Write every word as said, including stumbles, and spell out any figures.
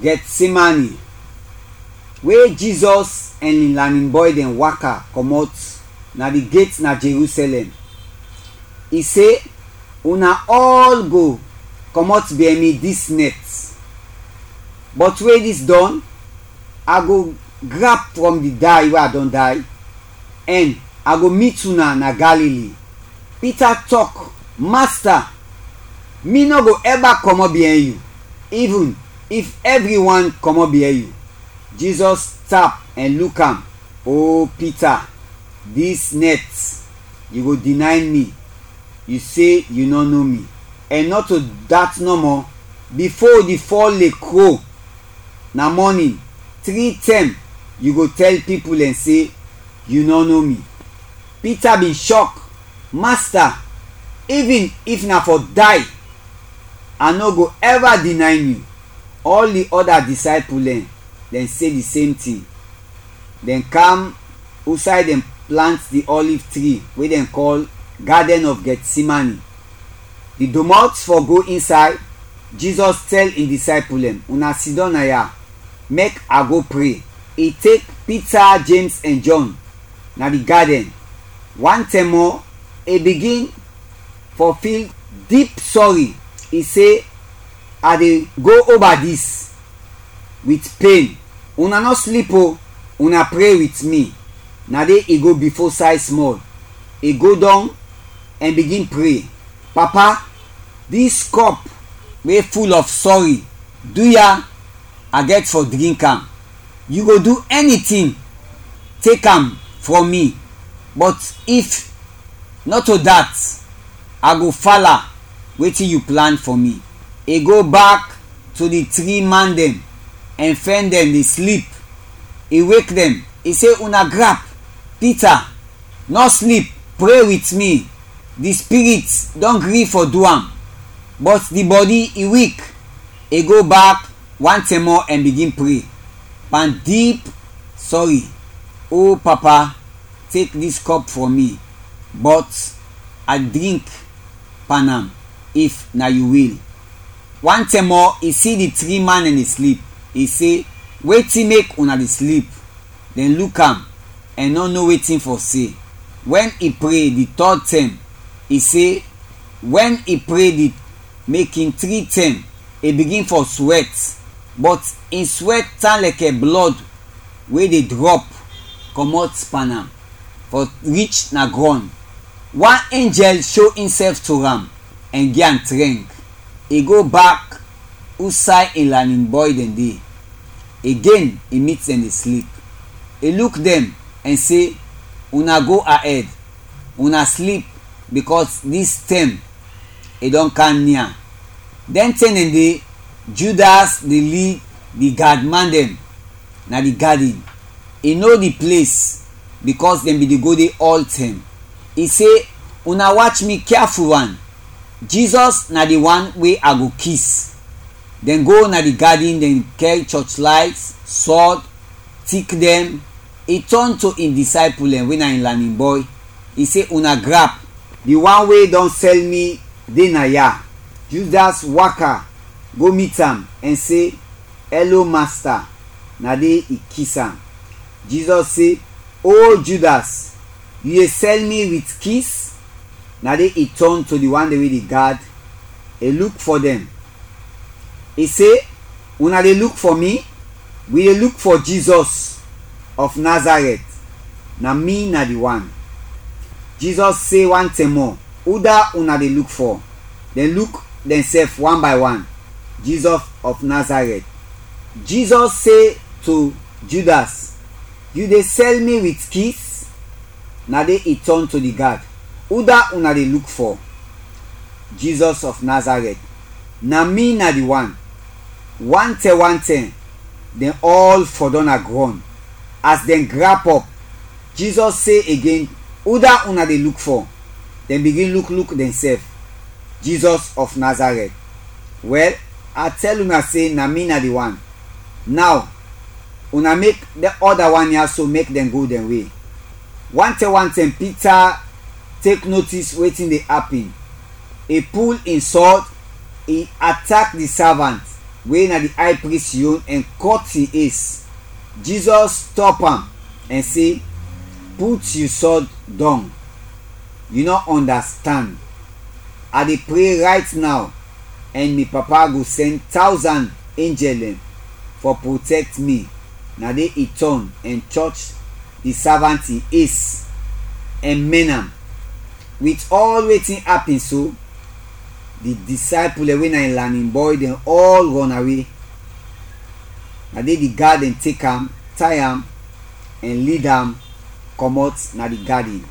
Gɛtsemane, we Jizɔs ɛn in lanin bɔy dɛn waka kɔmɔt na di get na Jerusalɛm, i se, "Una ɔl go kɔmɔt biɛn mi dis nɛt, bɔt we dis dɔn, a go grap frɔm di day we a dɔn day, ɛn a go mit una na Galili." Pita tɔk, "Masta, mi nɔ go ɛba kɔmɔt biɛn yu, ivin if ɛvriwan kɔmɔt biɛn yu." Jizɔs tap ɛn luk am, "O Pita, dis nɛt yu go dinayn mi, yu se yu nɔ no mi. Ɛn nɔto dat nɔmɔ, bifo di fɔl de kro na mɔnin, tri tɛm yu go tɛl pipul dɛn se yu nɔ no mi." Pita bin shɔk, "Masta, ivin if na fɔ day, a nɔ go ɛva dinayn yu." Ɔl di ɔda disaypul dɛn, dɛn se di sem tin. Dɛn kam usay dɛn plant di ɔliv tri we dɛn kɔl Gadɛn of Gɛtsemane. Di domɔt fɔ go insay, Jizɔs tɛl in disaypul dɛn, "Una sidɔm naya, mek a go pre." I tek Pita, Jems ɛn Jɔn na di gadɛn. Wan tɛm mɔ, i bigin fɔ fil dip sɔri, i se, "A de go oba dis wit pen. Una nɔ slip o, una pre wit mi." Na de i go bifo say smɔl, i go dɔng ɛn bigin pre, "Papa, dis kɔp we ful of sɔri, duya a gɛt fɔ drink am. Yu go du ɛni tin, tek am frɔm mi, bɔt if nɔto dat, a go fala wetin yu plan fɔ mi." I go bak to di tri man dɛn ɛn fɛn dɛn de slip. I wek dɛn, i se, "Una grap, Pita, nɔ slip, pre wit mi. Di spirit dɔn gri fɔ du am, bɔt di bɔdi i wik." I go bak wan tɛm mɔ ɛn bigin pre pan dip sɔri, "O Papa, tek dis kɔp frɔm mi, bɔt a drink pan am, if na yu wil." Wan tɛm mɔ, i si di tri man dɛn de slip, i se, "Wetin mek una de slip?" Dɛn luk am ɛn nɔ no wetin fɔ se. Wɛn i pre di tɔd tɛm, i se, wɛn i pre di mekin tri tɛm, i bigin fɔ swɛt, bɔt in swɛt tan lɛkɛ blɔd we de drɔp kɔmɔt pan am fɔ rich na grɔn. Wan enjɛl sho insɛf to am ɛn gi am trɛng. I go bak usay in lanin bɔy dɛn de. Agen i mit dɛn de slip. I luk dɛn ɛn se, "Una go aɛd, una slip, bikɔs dis tɛm i dɔn kam nia." Dɛn tɛm dɛn de, Judas de lid di gadman dɛn na di gadin. I no di ples, bikɔs dɛn bin de go de ɔltɛm. I se, "Una wach mi kyafuwan. Jizɔs na di wan we a go kis." Dɛn go na di gadin, dɛn kɛr chɔchlayt, sɔd, tik dɛn. I tɔn to in disaypul dɛn we na in lanin bɔy, i se, "Una grap, di wan we dɔn sɛl mi de naya." Judas waka go mit am ɛn se, "Ɛlo, Masta." Na de i kis am. Jizɔs se, "O Judas, yu de sɛl mi wit kis?" Na de i tɔn to di wan dɛn we de gad, i luk fɔ dɛn, i se, "Una de luk fɔ mi? Wi de luk fɔ Jizɔs of Nazarɛt, na mi na di wan." Jizɔs se wan tɛm mɔ, "Uda una de luk fɔ?" Dɛn luk dɛnsɛf wan bay wan. "Jizɔs of Nazarɛt." Jizɔs se to Judas, "Yu de sɛl mi wit kis?" Na de i tɔn to di gad, "Uda una de luk fɔ?" "Jizɔs of Nazarɛt, na mi na di wan." Wantɛm wantɛm, dɛn ɔl fɔdɔm na grɔn. As dɛn grap ɔp, Jizɔs se agen, "Uda una de luk fɔ?" Dɛn bigin luk luk dɛnsɛf. "Jizɔs of Nazarɛt, wɛl, a tɛl una se na mi na di wan. Naw, una mek dɛn ɔda wan ya so mek dɛn go dɛn we." Wantɛm wantɛm Pita tek notis wetin de apin. I pul in sɔd, i atak di savant, we na di ay pris yon, ɛn kɔt in es. Jizɔs stɔp am ɛn se, "Put yu sɔd dɔng. Yu nɔ ɔndastand. A de pre rayt naw, ɛn mi Papa go sɛn tawzan enjɛl dɛn fɔ protɛkt mi." Na de i tɔn ɛn chɔch di savant in es ɛn mɛn am. Wit ɔl wetin apin so, di disaypul dɛn we na in lanin bɔy dɛn ɔl rɔnawe. Na de di gad dɛn tek am, tay am, ɛn lid am kɔmɔt na di gadin.